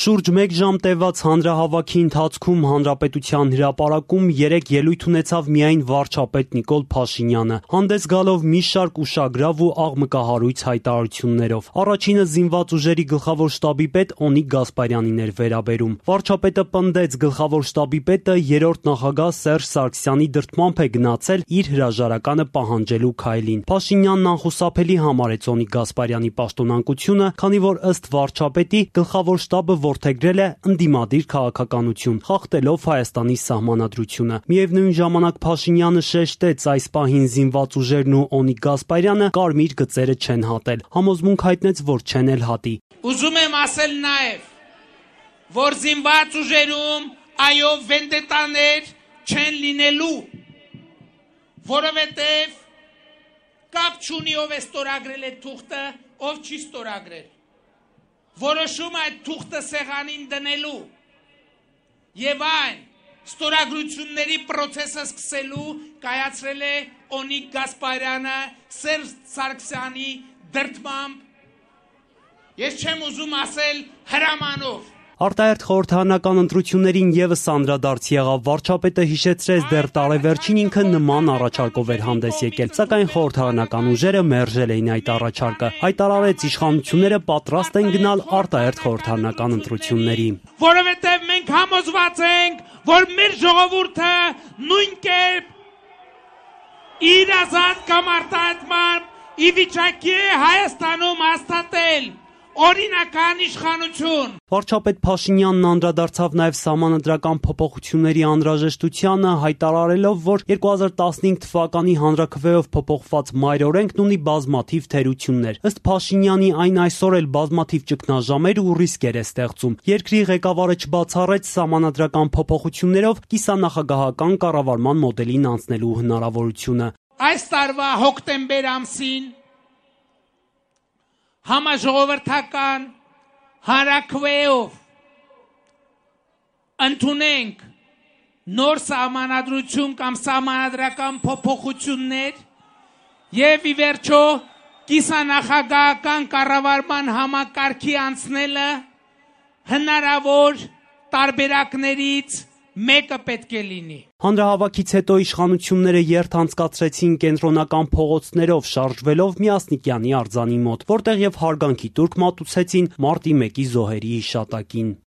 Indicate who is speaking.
Speaker 1: Շուրջ 1 ժամ տևած հանրահավաքի ընթացքում հանրապետության հրապարակում 3 ելույթ ունեցավ միայն վարչապետ Նիկոլ Փաշինյանը, հանդես գալով մի շարք ուշագրավ ու աղմկահարույց հայտարարություններով։ Առաջինը զինված ուժերի գլխավոր շտաբի պետ Օնիկ Գասպարյանին էր վերաբերում։ Վարչապետը պնդեց, գլխավոր շտաբի պետը երրորդ նախագահ Սերժ Սարգսյանի դրդմամբ է գնացել իր հրաժարականը պահանջելու քայլին։ Փաշինյանն անխուսափելի համարեց Օնիկ Գասպարյանի պաշտոնանկությունը, քանի որ ըստ վարչապետի գլխավոր շտաբը որդեգրել է ընդդիմադիր քաղաքականություն, խախտելով Հայաստանի սահմանադրությունը։ Միևնույն ժամանակ Փաշինյանը շեշտեց, այս պահին զինված ուժերն ու Օնիկ Գասպարյանը կարմիր գծերը չեն հատել։ Համոզմունք հայտնեց, որ չեն էլ հատի։
Speaker 2: Ուզում եմ ասել նաև, որ զինված ուժերում այո վենդետաներ չեն լինելու, որովհետև կապ չունի ով է ստորագրել այդ թուղթը, ով չի ստորագրել։ Որոշում այդ թուղթը սեղանին դնելու եւ այն ստորագրությունների process-ը սկսելու կայացրել է Օնիկ Գասպարյանը Սերժ Սարգսյանի դրդմամբ, ես չեմ ուզում ասել հրամանով։
Speaker 1: Արտահերթ խորհրդարանական ընտրություններին ևս անդրադարձ եղավ, վարչապետը հիշեցրեց դեռ տարեվերջին ինքը նման առաջարկով էր հանդես եկել, սակայն խորհրդարանական ուժերը մերժել էին այդ առաջարկը, հայտարարեց իշխանությունները պատրաստ են գնալ արտահերթ խորհրդարանական ընտրությունների։
Speaker 2: Որովհետև մենք համոզված ենք, որ մեր ժողովուրդը նույն կերպ իր ազատ կամ արտահայտման ի վիճակի է Հայաստանում հաստատել օրինական իշխանություն։
Speaker 1: Վարչապետ Փաշինյանն անդրադարձավ նաև սահմանադրական փոփոխությունների անհրաժեշտությանը, հայտարարելով, որ 2015 թվականի հանրաքվեով փոփոխված մայրօրենքն ունի բազմաթիվ թերություններ։ Ըստ Փաշինյանի, այն այսօր էլ բազմաթիվ ճգնաժամեր ու ռիսկեր է ստեղծում։ Երկրի ղեկավարը չբացառեց սահմանադրական փոփոխություններով կիսանախագահական կառավարման մոդելին անցնելու հնարավորությունը։
Speaker 2: Այս տարվա հոկտեմբեր ամսին համաժողովրդական հանրաքվեով ընդունենք նոր սահմանադրություն կամ սահմանադրական փոփոխություններ եւ ի վերջո կիսանախագահական կառավարման համակարգի անցնելը հնարավոր տարբերակներից մեկը պետք է լինի։
Speaker 1: Հանրահավաքից հետո իշխանությունները երթ անցկացրեցին կենտրոնական փողոցներով, շարժվելով Միասնիկյանի արձանի մոտ, որտեղ եւ հարգանքի տուրք մատուցեցին մարտի 1-ի զոհերի հիշատակին։